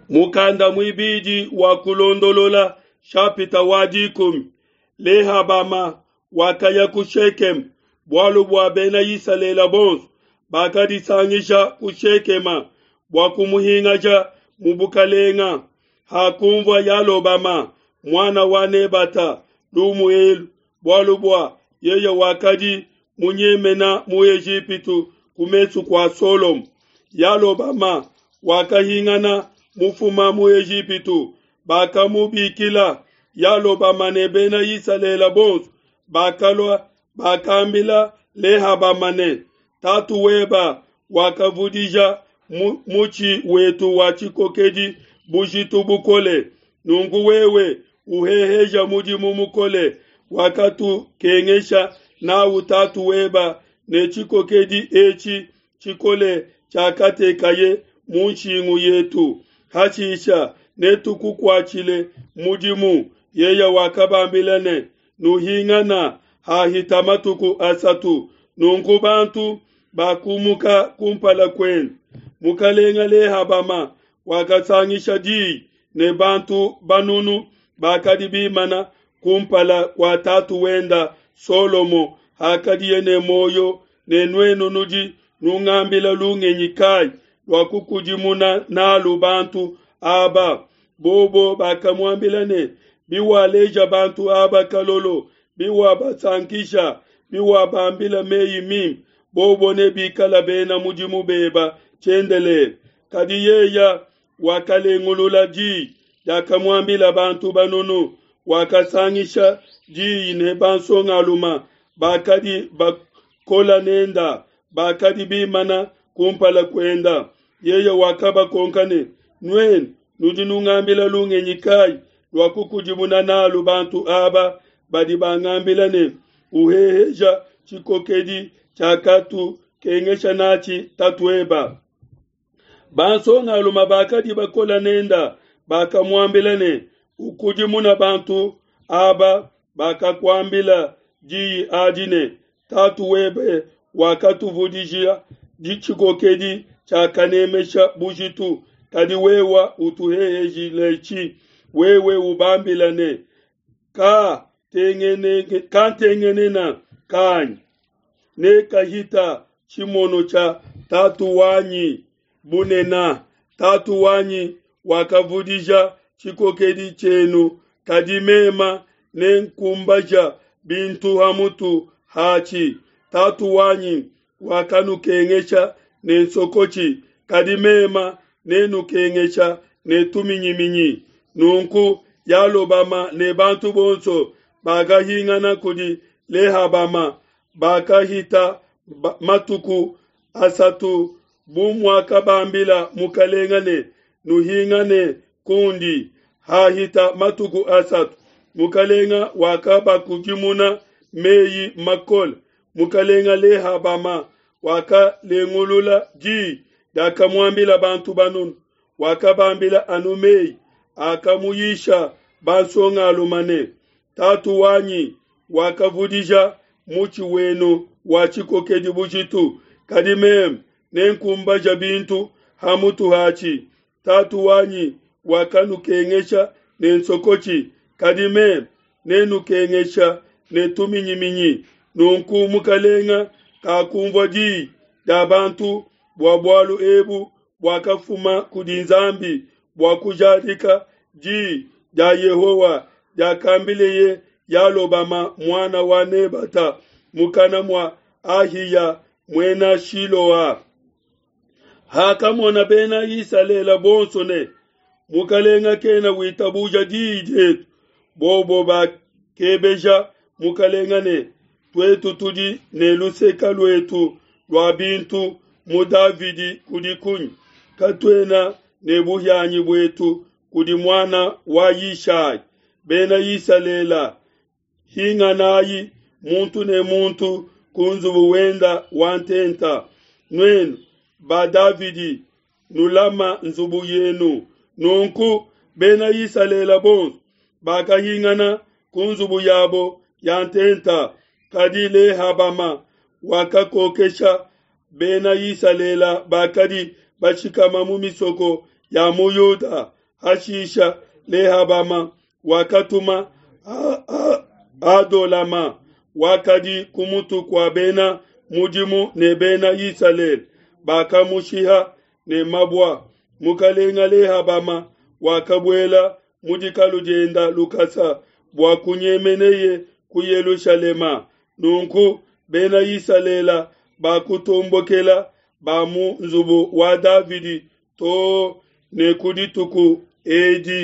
Mukanda muibidi wa Kulondolola shapita wa dikumi. Lehabama wakaya ku Shekeme bualu bua bena Isalele bonso bakadisangisha ku Shekema bua kumuhingaja mu bukalenga. Hakunvua Yalobama muana wa Nebata lumu elu, bualu bua yeye wakadi munyemena mu Ejipitu ku mesu kua Solomo, Yalobama wakahingana mufuma mu Ejipitu, bakamubikila. Yalobama ne Bena Isalele bonso bakalua, bakambila Lehabama ne, Tatu weba wakavudija mutshi wetu wa tshikokedi bujitu bukole, nunku wewe uheheja mudimu mukole wakatukengesha nawu tatu weba ne tshikokedi etshi tshikole tshiakatekaye mu nshingu yetu. Hashisha netukukuatshile mudimu. Yeye wakabambila ne, Nuhingana hahita matuku asatu. Nunku bantu bakumuka kumpala kuende. Mukalenga Lehabama wakasangisha diyi ne bantu banunu bakadi bimana kumpala kua tatu wenda Solomo hakadiye ne muoyo, ne nuenu nudi nungambila lungenyi kai lua kukudimuna nalu bantu aba? Bobo bakamuambila ne, Biwaleja bantu aba kalolo, biwabasankisha, biwabambila meyi mimpe, bobo nebikala bena mudimu beba tshiendelele. Kadi yeya wakalengulula diyi diakamuambila bantu banunu, wakasangisha diyi ne bansongaluma bakadi bakola nenda, bakadi bimana kumpala kuenda. Yeye wakabakonka ne, Nuenu nudi nungambila lungenyi kai lua kukudimuna nalu bantu aba badi bangambila ne, Uheheja tshikokedi tshiakatukengesha natshi tatueba? Bansongalume bakadi bakola nenda bakamuambila ne, Ukudimuna bantu aba bakakuambila diyi adi ne, Tatu webe wakatuvudijia tshikokedi tshiakanemesha bujitu, kadi wewa utuhehejiletshi. Wewe ubambila ne, Ka kantengenena kanyi ne kahita tshimono tshia tatu wanyi bunena. Tatu wanyi wakavudija tshikokedi tshienu, kadi mema nenkumbaja bintu ha mutu hatshi. Tatu wanyi wakanukengesha ne nsokotshi, kadi mema nenukengesha ne tuminyiminyi. Nunku Yalobama ne bantu bonso bakahingana kudi Lehabama, bakahita matuku asatu bu muakabambila mukalenga ne, Nuhingane kundi. Hahita matuku asatu, mukalenga wakabakudimuna meyi makole. Mukalenga Lehabama wakalengulula diyi diakamuambila bantu banunu, wakabambila anu meyi akamuyisha bansongalume ne, Tatu wanyi wakavudija mutshi wenu wa tshikokedi bujitu, kadi meme nenkumbaja bintu ha mutu hatshi. Tatu wanyi wakanukengesha ne nsokotshi, kadi meme nenukengesha ne tuminyiminyi. Nunku mukalenga kakumvua diyi dia bantu bua bualu ebu buakafuma kudi Nzambi bua kujadika diyi dia Yehowa diakambileye Yalobama muana wa Nebata mukana mua Ahiya muena Shiloa. Hakamona Bena Isalele bonso ne, Mukalenga kena witabuja diyi dietu, bobo bakebeja mukalenga ne, Tuetu tudi ne luseka luetu lua bintu mu Davidi kudi kunyi? Katuena ne buhianyi buetu kudi muana wa Yishai. Bena Isalele, hinganayi muntu ne muntu ku nzubu wenda wa ntenta. Nuenu ba Davidi, nulama nzubu yenu. Nunku Bena Isalele bonso bakahingana ku nzubu yabo ya ntenta, kadi Lehabama wakakokesha Bena Isalele bakadi bashikama mu misoko ya mu Yuda. Hashisha Lehabama wakatuma Adolama wakadi ku mutu kua bena mudimu ne Bena Isalele, bakamushiha ne mabua. Mukalenga Lehabama wakabuela mu dikalu dienda lukasa bua kunyemeneye ku Yelushalema. Nunku Bena Isalele bakutombokela ba mu nzubu wa Davidi too ne ku dituku edi.